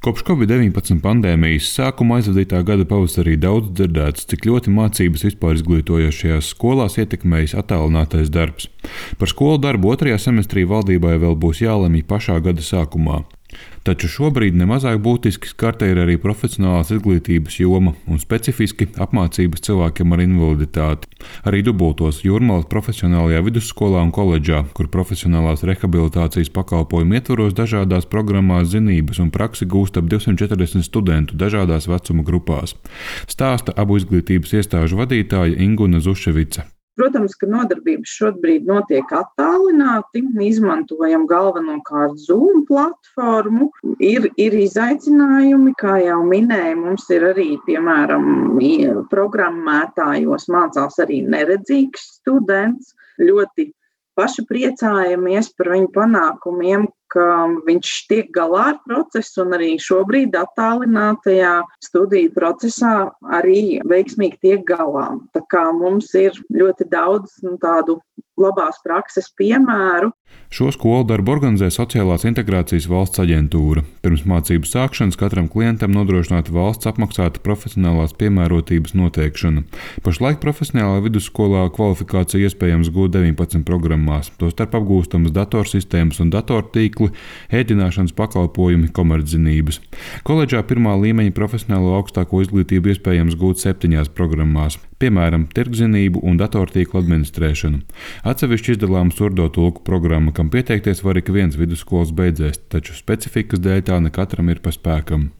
Kopš Covid-19 pandēmijas sākuma aizvadītā gada pavasarī daudz dzirdēts, cik ļoti mācības vispār izglītojošajās skolās ietekmējis attālinātais darbs. Par skolu darbu otrajā semestrī valdībai vēl būs jālemj pašā gada sākumā. Taču šobrīd nemazāk būtiski skarta ir arī profesionālās izglītības joma un specifiski apmācības cilvēkiem ar invaliditāti. Arī dubultos Jūrmalas profesionālajā vidusskolā un koledžā, kur profesionālās rehabilitācijas pakalpojumu ietvaros dažādās programmās zinības un praksi gūst ap 240 studentu dažādās vecuma grupās. Stāsta abu izglītības iestāžu vadītāja Inguna Zuševica. Protams, ka nodarbības šobrīd notiek attālināti, izmantojam galvenokārt Zoom platformu. Ir izaicinājumi, kā jau minēju, mums ir arī, piemēram, programmētājos mācās arī neredzīgs students. Ļoti paši priecājamies par viņu panākumiem, ka viņš tiek galā ar procesu un arī šobrīd attālinātajā studiju procesā arī veiksmīgi tiek galā. Tā kā mums ir ļoti daudz tādu labās prakses piemēru. Šo skolu darbu organizē Sociālās integrācijas valsts aģentūra. Pirms mācību sākšanas katram klientam nodrošināta valsts apmaksāta profesionālās piemērotības noteikšana. Pašlaik profesionālā vidusskolā kvalifikāciju iespējams gūt 19 programmās, tostarp apgūstamas datorsistēmas un datortīkli, ēdināšanas pakalpojumi, komerczinības. Koledžā pirmā līmeņa profesionālo augstāko izglītību iespējams gūt 7 programmās, piemēram, tirgzinību un datortīklu administrēšanu. Atsevišķi izdalām surdo tulku programma, kam pieteikties var ik viens vidusskolas beidzējs, taču specifikas dēļ tā ne katram ir pa spēkam.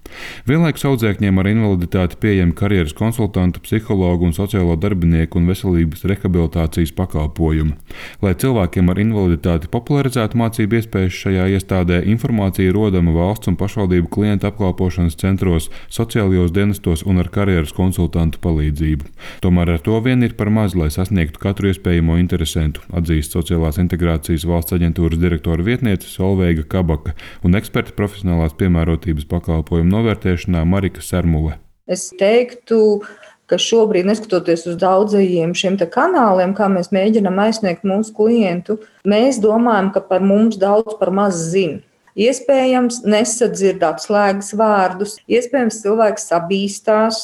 Vienlaikus audzēkņiem ar invaliditāti pieejami karjeras konsultantu, psihologu un sociālo darbinieku un veselības rehabilitācijas pakalpojumi. Lai cilvēkiem ar invaliditāti popularizētu mācību iespējas šajā iestādē, informācija rodama valsts un pašvaldību klientu apkalpošanas centros, sociālajos dienestos un ar karjeras konsultantu palīdzību. Tomēr ar to vien ir par maz, lai sasniegtu katru iespējamo interesentu, atzīst Sociālās integrācijas valsts aģentūras direktora vietniece Solveiga Kabaka un eksperta profesionālās piemērotības pakalpojumu novērtēšanā Marika Sermule. Es teiktu, ka šobrīd, neskatoties uz daudzajiem šiem kanāliem, kā mēs mēģinām aizsniegt mūsu klientu, mēs domājam, ka par mums daudz par maz zina. Iespējams, nesadzird atslēgas vārdus, iespējams, cilvēks sabīstās,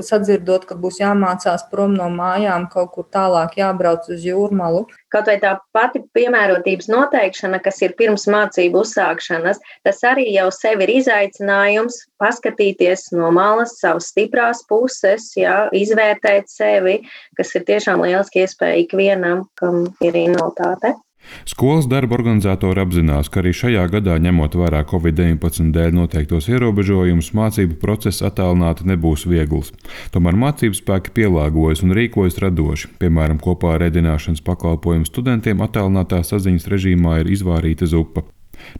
sadzirdot, ka būs jāmācās prom no mājām, kaut kur tālāk jābrauc uz Jūrmalu. Kaut vai tā pati piemērotības noteikšana, kas ir pirms mācību uzsākšanas, tas arī jau sev ir izaicinājums paskatīties no malas savas stiprās puses, izvērtēt sevi, kas ir tiešām lieliski iespēja ikvienam, kam ir invaliditāte. Skolas darba organizatori apzinās, ka arī šajā gadā, ņemot vērā Covid-19 dēļ noteiktos ierobežojumus, mācību process attālināti nebūs viegls. Tomēr mācību spēki pielāgojas un rīkojas radoši. Piemēram, kopā ar ēdināšanas pakalpojumu studentiem attālinātā saziņas režīmā ir izvārīta zupa.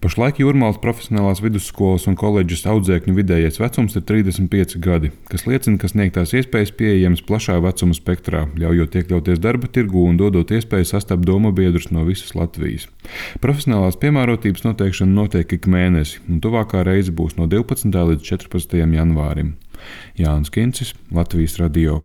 Pašlaik Jūrmalas profesionālās vidusskolas un koledžas audzēkņu vidējais vecums ir 35 gadi, kas liecina, ka sniegtās iespējas pieejamas plašā vecuma spektrā, ļaujot iekļauties darba tirgū un dodot iespēju sastapt domabiedrus no visas Latvijas. Profesionālās piemērotības noteikšana notiek ik mēnesi, un tuvākā reize būs no 12. līdz 14. janvārim. Jānis Kincis, Latvijas radio.